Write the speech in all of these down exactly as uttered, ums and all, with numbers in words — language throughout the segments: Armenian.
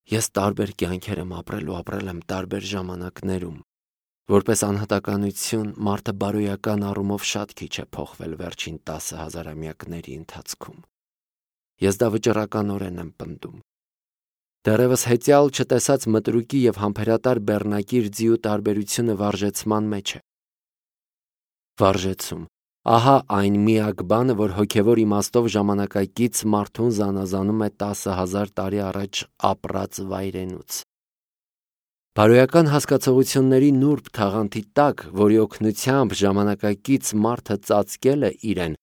Ես տարբեր կյանքեր եմ ապրել ու ապրել եմ տարբեր ժամանակներում։ Որպես անհատականություն մարդը բարոյական առումով շատ քիչ է փոխվել վերջին տասը հազարամյակների ընթացքում։ Ես դա վճռականորեն եմ պնդում։ Դեռևս հետյալ չտեսած մտրուկի և համբերատար բեռնակիր ձիու տարբերությունը վարժեցման մեջ է։ Վարժեցում։ Ահա այն միակ բանը, որ հոգևոր իմաստով ժամանակակից մարդուն զանազանում է տասը հազար տարի առաջ ապրած վայրենուց։ Բարոյական հասկացողությունների նուրբ թաղանթի տակ, որի օգնությամբ ժամանակակից մարդը ծածկել է իրեն,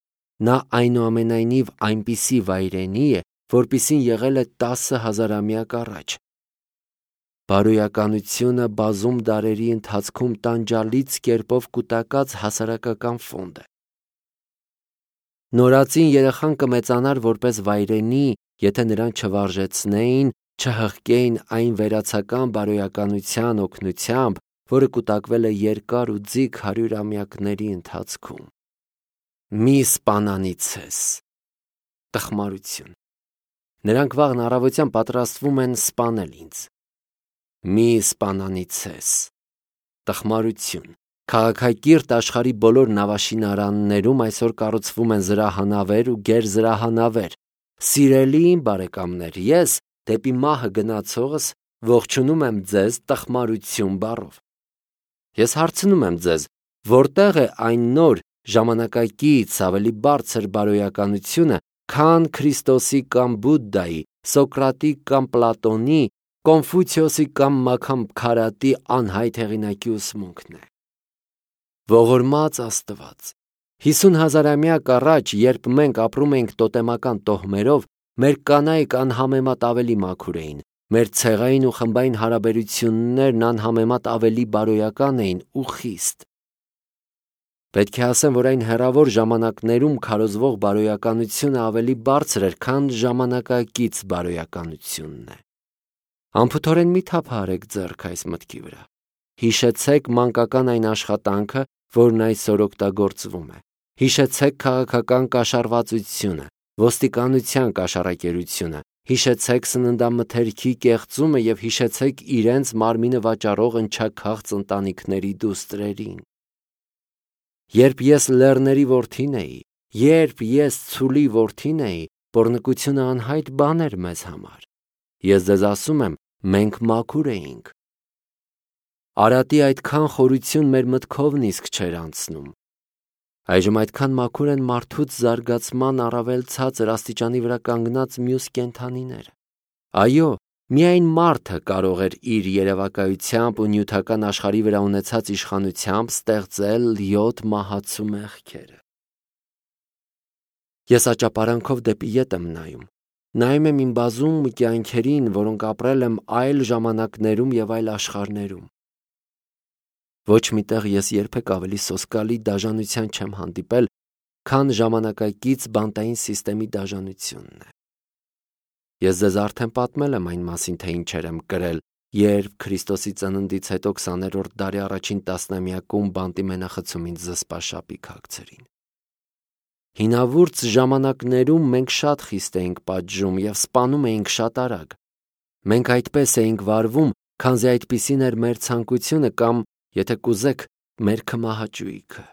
նա այնուամենայնիվ այնպիսի վայրենի է, որպիսին եղել է տասը հազարամյակ առաջ։ Բարոյականությունը բազում դարերի ընթացքում տանջալից կերպով կուտակած հասարակական ֆոնդ է։ Նորածին երեխան կմեծանար որպես վայրենի, եթե նրան չվարժեցնեին, չհղկեին այն վերացական բարոյականության օգնությամբ, որը կուտակվել է երկար ու ձիգ հարյուրամյակների ընթացքում։ Մի սպանանիցես։ Տխմարություն։ Նրանք վաղն առավոտյան պատրաստվում են սպանել ինձ։ Մի սպանանիցես։ Տխմարություն։ Քաղաքակիրթ աշխարհի բոլոր նավաշինարաններում այսօր կառուցվում են զրահանավեր ու գերզրահանավեր։ Սիրելի իմ բարեկամներ, ես դեպի մահը գնացողս ողջունում եմ ձեզ տխմարություն բառով։ Ես հարցնում եմ ձեզ, որտեղ է այն նոր ժամանակակից ավելի բարձր բարոյականությունը, քան Քրիստոսի կամ Բուդդայի, Սոկրատի կամ Պլատոնի, Կոնֆուցիոսի կամ Մաքամքարատի անհայտ հեղինակի ուսմունքն է։ Ողորմած Աստված, հիսուն հազարամյակ առաջ, երբ մենք ապրում էինք տոտեմական տոհմերով, մեր կանայք անհամեմատ ավելի մաքուր էին, մեր ցեղային ու խմբային հարաբերություններն անհամեմատ ավելի բարոյական էին ու խիստ։ Պետք է ասեմ, որ այն հեռավոր ժամանակներում քարոզվող բարոյականությունը ավելի բարձր էր, քան ժամանակակից բարոյականությունն է։ Անփութորեն մի թափահարեք ձեռք այս մտքի վրա։ Հիշեցեք մանկական այն աշխատանքը, որն այսօր օգտագործվում է։ Հիշեցեք քաղաքական կաշառվածությունը, ոստիկանության կաշառակերությունը, հիշեցեք սննդամթերքի կեղծումը և հիշեցեք իրենց մարմինը վաճառող ընչաքաղց ընտանիքների դուստրերին։ Երբ ես լեռների որդին էի, երբ ես ցուլի որդին էի, պոռնկությունը անհայտ բան էր մեզ համար։ Ես ձեզ ասում եմ, մենք մաքուր էինք։ Արատի այդքան խորություն մեր մտքով նիսկ չէր անցնում։ Այժմ այդքան մաքուր են մարդուց զարգացման առավել ցածր աստիճանի վրա կանգնած մյուս կենդանիները։ Այո, միայն մարդը կարող էր իր երևակայությամբ ու նյութական աշխարհի վրա ունեցած իշխանությամբ ստեղծել յոթ մահացու մեղքերը։ Ես աճապարանքով դեպի ետ եմ նայում։ Նայում եմ իմ բազում կյանքերին, որոնք ապրել եմ այլ ժամանակներում և այլ աշխարհներում։ Ոչ միտեղ ես երբեք ավելի սոսկալի դաժանության չեմ հանդիպել, քան ժամանակակից բանտային սիստեմի դաժանությունն է։ Ես ձեզ արդեն պատմել եմ այն մասին, թե ինչեր եմ կրել, երբ Քրիստոսի ծննդից հետո քսաներորդ դարի առաջին տասնամյակում բանտի մենախցում ինձ զսպաշապիկ հագցրին։ Հինավուրց ժամանակներում մենք շատ խիստ էինք պատժում և սպանում էինք շատ արագ։ Մենք այդպես էինք վարվում, քանզի այդպիսին էր մեր ցանկությունը կամ, եթե կուզեք, մեր քմահաճույքը։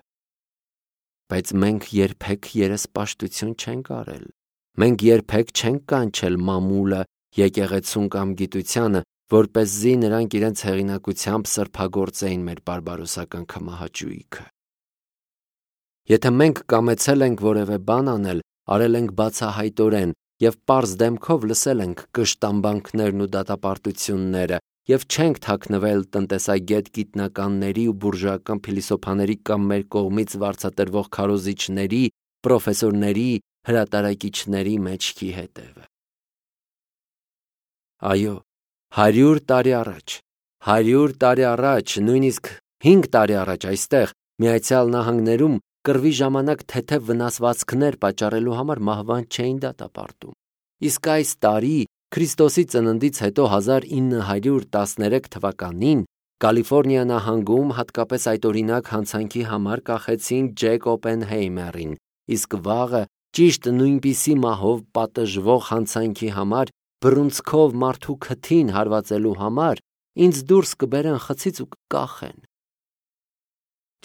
Բայց մենք երբեք երեսպաշտություն չենք արել։ Մենք երբեք չենք կանչել մամուլը, եկեղեցուն կամ գիտությանը, որպեսզի նրանք իրենց հեղինակությամբ սրբագործեին մեր բարբարոսական քմահաճույքը։ Եթե մենք կամեցել ենք որևէ բան անել, արել ենք բացահայտորեն և պարզ դեմքով լսել ենք կշտամբանքներն ու դատապարտությունները և չենք թաքնվել տնտեսագետ գիտնականների ու բուրժուական փիլիսոփաների կամ մեր կողմից վարձատրվող քարոզիչների, պրոֆեսորների, հրատարակիչների մեջքի հետևը։ Այո, հարյուր տարի առաջ, հարյուր տարի առաջ, նույնիսկ հինգ տարի առաջ այստեղ, Միացյալ Նահանգներում կռվի ժամանակ թեթև վնասվածքներ պատճառելու համար մահվան չէին դատապարտում։ Իսկ այս տարի, Քրիստոսի ծննդից հետո հազար ինը հարյուր տասներեք թվականին, Կալիֆոռնիա նահանգում հատկապես այդօրինակ հանցանքի համար կախեցին Ջեք Օպենհեյմերին, իսկ վաղը ճիշտ նույնպիսի մահով պատժվող հանցանքի համար բռունցքով մարդու քթին հարվածելու համար ինձ դուրս կբերեն խցից ու կկախեն։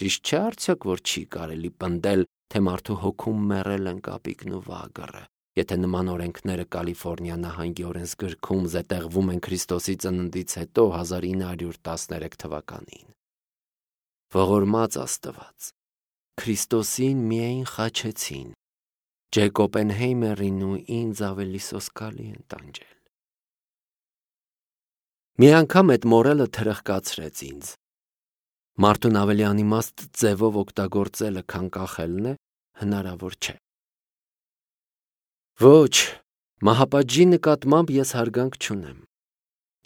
Ճիշտ չէ՞ արդյոք, որ չի կարելի պնդել, թե մարդու հոգում մեռել են կապիկն ու վագրը, եթե նման օրենքները Կալիֆոռնիա նահանգի օրենսգրքում զետեղվում են Քրիստոսի ծննդից հետո հազար ինը հարյուր տասներեք թվականին։ Ողորմած Աստված, Քրիստոսին միայն խաչեցին, Ջեք Օպենհեյմերին ու ինձ ավելի սոսկալի են տանջել։ Մի անգամ այդ մորելը թրխկացրեց ինձ։ Մարդուն ավելի անիմաստ ձևով օգտագործելը, քան կախելն է, հնարավոր չէ։ Ոչ, մահապատժի նկատմամբ ես հարգանք չունեմ։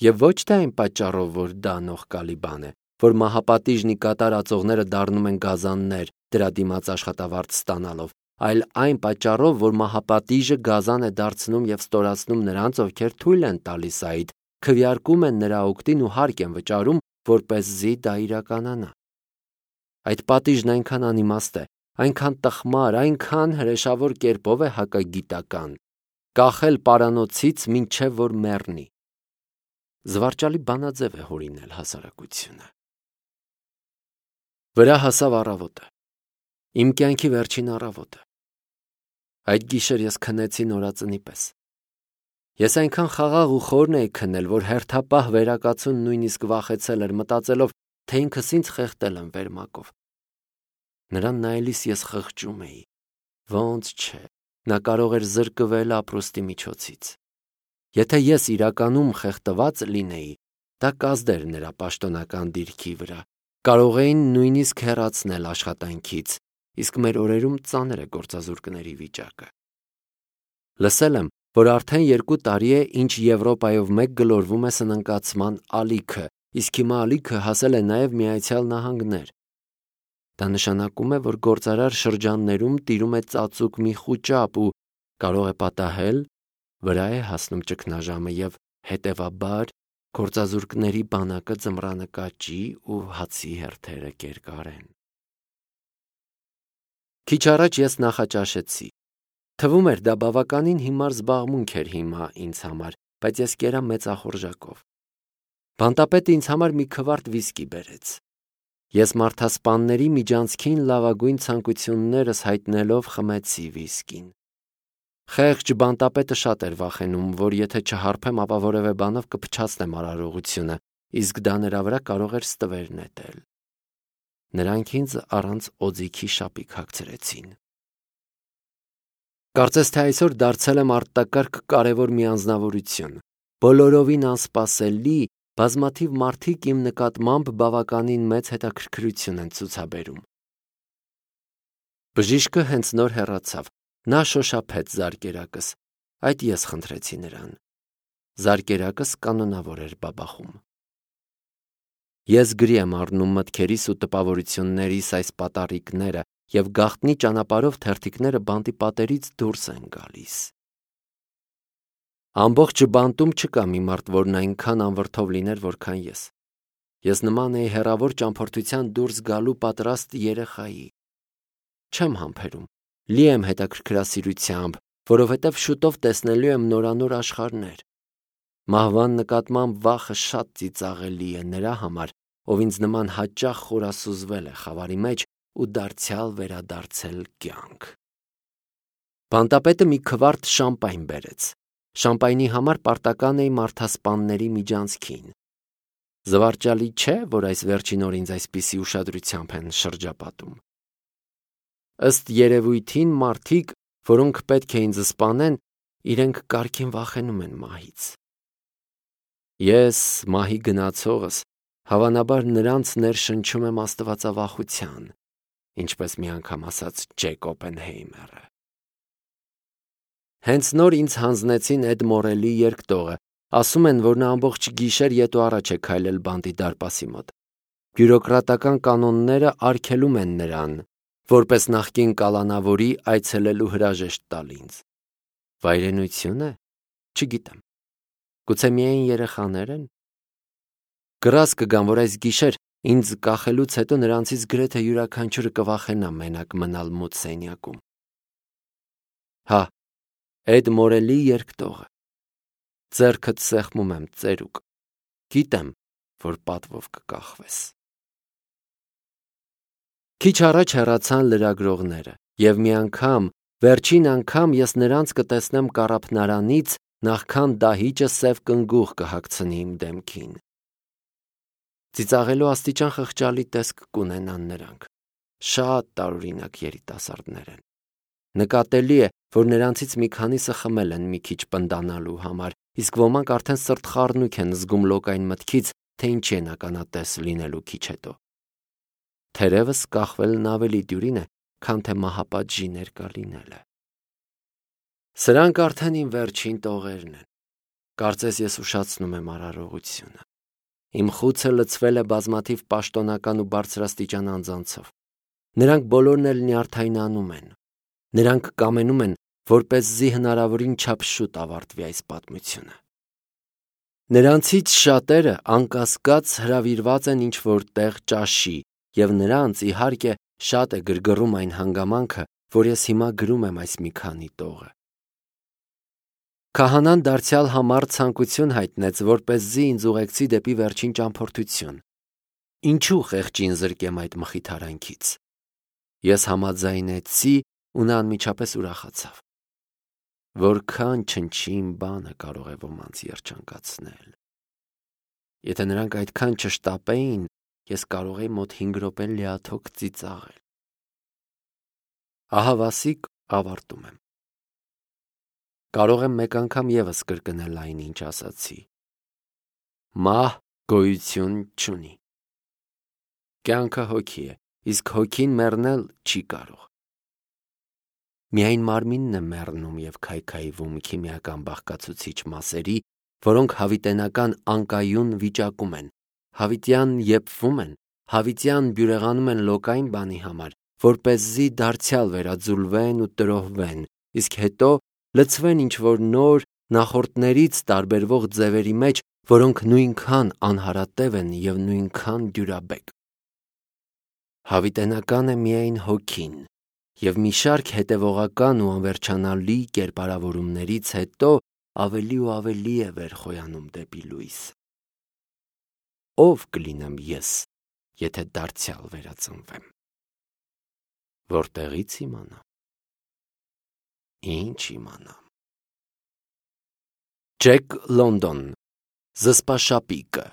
Եվ ոչ թե այն պատճառով, որ դա նողկալի բան է, որ մահապատիժն ի կատար ածողները դառնում են գազաններ, դրա դիմաց աշխատավարձ ստանալով, այլ այն պատճառով, որ մահապատիժը գազան է դարձնում և ստորացնում նրանց, ովքեր թույլ են տալիս այդ, քվեարկում են նրա օգտին ու հարկ են վճարում, որպեսզի դա իրականանա։ Այդ պատիժն այնքան անիմաստ է, այնքան տխմար, այնքան հրեշավոր կերպով է հակագիտական, կախել պարանոցից մինչև որ մեռնի։ Զվարճալի բանաձև է հորինել հասարակությունը։ Վրա հասավ առավոտը, իմ կյանքի վերջին առավոտը։ Այդ գիշեր ես քնեցի նորածնի պես։ Ես այնքան խաղաղ ու խորն էի քնել, որ հերթապահ վերակացուն նույնիսկ վախեցել էր, մտածելով, թե ինքս ինձ խեղդել եմ վերմակով։ Նրան նայելիս ես խղճում էի, ոնց չէ, նա կարող էր զրկվել ապրուստի միջոցից։ Եթե ես իրականում խեղդված լինեի, դա կազդեր նրա պաշտոնական դիրքի վրա, կարող էին նույնիսկ հեռացնել աշխատանքից, իսկ մեր օրերում ծանր է գործազուրկների վիճակը։ Լսել եմ, որ արդեն երկու տարի է, ինչ Եվրոպայով մեկ գլորվում է սննկացման ալիքը, իսկ հիմա ալիքը հասել է նաև Միացյալ Նահանգներ։ Դա նշանակում է, որ գործարար շրջաններում տիրում է ծածուկ մի խուճապ ու կարող է պատահել, վրա է հասնում ճգնաժամը և, հետևաբար, գործազուրկների բանակը ձմռանը կաճի ու հացի հերթերը կերկարեն։ Քիչ առաջ ես նախաճաշեցի։ Թվում էր դա բավականին հիմար զբաղմունք էր հիմա ինձ համար, բայց ես կերա մեծախորժակով։ Բանտապետը ինձ համար մի քվարտ վիսկի բերեց։ Ես մարդասպանների միջանցքին լավագույն ցանկություններս հայտնելով խմեցի վիսկին։ Խեղճ բանտապետը շատ էր վախենում, որ եթե չհարբեմ, ապա որևէ բանով կփչացնեմ արարողությունը, իսկ դա նրա վրա կարող էր ստվեր նետել։ Նրանք ինձ առանց օձիքի շապիկ հագցրեցին։ Կարծես թե այսօր դարձել եմ արտակարգ կարևոր մի անձնավորություն։ Բոլորովին անսպասելի, բազմաթիվ մարդիկ իմ նկատմամբ բավականին մեծ հետաքրքրություն են ցուցաբերում։ Բժիշկը հենց նոր հեռացավ, նա շոշափեց զարկերակս, այդ ես խնդրեցի նրան։ Զարկերակս կանոնավոր էր բաբախում։ Ես գրի եմ առնում մտքերիս ու տպավորություններիս այս պատառիկները և գաղտնի ճանապարհով թերթիկները բանտի պատերից դուրս են գալիս։ Ամբողջ բանտում չկա մի մարդ, որն այնքան անվրդով լիներ, որքան ես։ Ես նման էի հեռավոր ճամփորդության դուրս գալու պատրաստ երեխայի։ Չեմ համբերում, լի եմ հետաքրքրասիրությամբ, որովհետև շուտով տեսնելու եմ նորանոր աշխարհներ։ Մահվան նկատմամբ վախը շատ ծիծաղելի է նրա համար, ով ինձ նման հաճախ խորասուզվել է խավարի մեջ ու դարձյալ վերադարձել կյանք։ Բանտապետը մի քվարտ շամպայն բերեց։ Շամպայնի համար պարտական էի մարդասպանների միջանցքին։ Զվարճալի չէ, որ այս վերջին օր ինձ այսպիսի ուշադրությամբ են շրջապատում։ Ըստ երևույթին մարդիկ, որոնք պետք է ինձ սպանեն, իրենք կարգին վախենում են մահից։ Ես, մահի գնացողս, հավանաբար նրանց ներշնչում եմ աստվածավախության, ինչպես մի անգամ ասաց Ջեք Օպենհեյմերը։ Հենց նոր ինձ հանձնեցին Էդ Մորելի երգտողը, ասում են, որ նա ամբողջ գիշեր ետ ու առաջ է քայլել բանտի դարպասի մոտ։ Բյուրոկրատական կանոնները արգելում են նրան, որպես նախկին կալանավորի այցելելու հրաժեշտ տալ ինձ։ Վայրենություն է, չգիտեմ։ Գուցե միայն երեխաներ են։ Կռաս կգամ, որ այս գիշեր ինձ կախելուց հետո նրանցից գրեթե յուրաքանչյուրը կվախենա մենակ մնալ մութ սենյակում։ Հա, Էդ Մորելի երգտողը։ ձեռքդ սեղմում եմ ծերուկ, գիտեմ, որ պատվով կկախվես։ Քիչ առաջ հեռացան լրագրողները, և մի անգամ, վերջին անգամ ես նրանց կտեսնեմ կառափնարանից, նախքան դահիճը սև կնգուղ կհագցնի իմ դեմքին։ Ծիծաղելու աստիճան խղճալի տեսք կունենան նրանք, շատ տարօրինակ երիտասարդներ են։ Նկատելի է, որ նրանցից մի քանիսը խմել են մի քիչ պնդանալու համար, իսկ ոմանք արդեն սրտխառնույք են զգում լոկային մտքից, թե ինչի են ականատես լինելու քիչ հետո։ Թերևս կախվելն ավելի դյուրին է, քան թե մահապատժի ներկա լինելը։ Սրանք արդեն իմ վերջին տողերն են։ Կարծես ես ուշացնում եմ արարողությունը։ Իմ խուցը լցվել է բազմաթիվ պաշտոնական ու բարձրաստիճան անձանցով։ Նրանք բոլորն էլ նյարդայնանում են։ Նրանք կամենում են, որպեսզի հնարավորին չափ շուտ ավարտվի այս պատմությունը։ Նրանցից շատերը անկասկած հրավիրված են ինչ-որ տեղ ճաշի, և նրանց, իհարկե, շատ է գրգռում այն հանգամանքը, որ ես հիմա գրում եմ այս մի քանի տողը։ Քահանան դարձյալ համառ ցանկություն հայտնեց, որպեսզի ինձ ուղեկցի դեպի վերջին ճամփորդություն։ Ինչու խեղճին զրկեմ այդ մխիթարանքից։ Ես համաձայնեցի ու նա անմիջապես ուրախացավ։ Որքան չնչին բանը կարող է ոմանց երջանկացնել։ Եթե նրանք այդքան չշտապեին, ես կարող էի մոտ հինգ րոպե լիաթոք ծիծաղել։ Ահա Վասիկ ավարտում եմ։ Կարող եմ մեկ անգամ ևս կրկնել այն, ինչ ասացի։ Մահ գոյություն չունի։ Կյանքը հոգի է, իսկ հոգին մեռնել չի կարող։ Միայն մարմինն է մեռնում և քայքայվում քիմիական բաղկացուցիչ մասերի, որոնք հավիտենական անկայուն վիճակում են, հավիտյան եփվում են, հավիտյան բյուրեղանում են լոկային բանի համար, որպեսզի դարձյալ վերաձուլվեն ու տրոհվեն, իսկ հետո լցվեն ինչ-որ նոր, նախորդներից տարբերվող ձևերի մեջ, որոնք նույնքան անհարատև են և նույնքան դյուրաբեկ։ Հավիտենական է միայն հոգին, և մի շարք հետևողական ու անվերջանալի կերպարավորումներից հետո ավելի ու ավելի է վեր խոյանում դեպի լույսը։ Ո՞վ կլինեմ ես, եթե դարձյալ վերածնվեմ։ Որտեղի՞ց իմանամ։ Ինչ իմանամ։ Ջեք Լոնդոն, Զսպաշապիկը։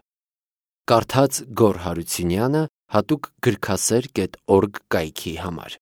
Կարդաց Գոռ Հարությունյանը, հատուկ գրքասեր կետ օրգ կայքի համար։